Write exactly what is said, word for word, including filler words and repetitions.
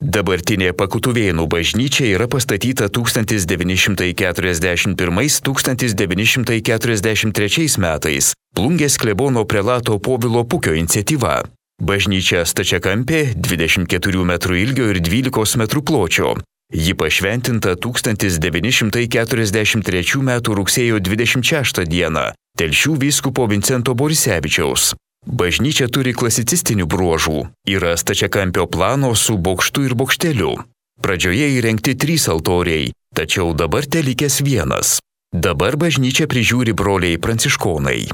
Dabartinė Pakutuvėnų bažnyčia yra pastatyta tūkstantis devyni šimtai keturiasdešimt pirmais - tūkstantis devyni šimtai keturiasdešimt trečiais metais Plungės klebono prelato Povilo Pukio iniciatyva. Bažnyčia stačiakampė, dvidešimt keturių metrų ilgio ir dvylikos metrų pločio. Ji pašventinta tūkstantis devyni šimtai keturiasdešimt trečių metų rugsėjo dvidešimt šeštą dieną Telšių vyskupo Vincento Borisevičiaus. Bažnyčia turi klasicistinių bruožų. Yra stačiakampio plano su bokštu ir bokšteliu. Pradžioje įrengti trys altoriai, tačiau dabar telikęs vienas. Dabar bažnyčią prižiūri broliai pranciškonai.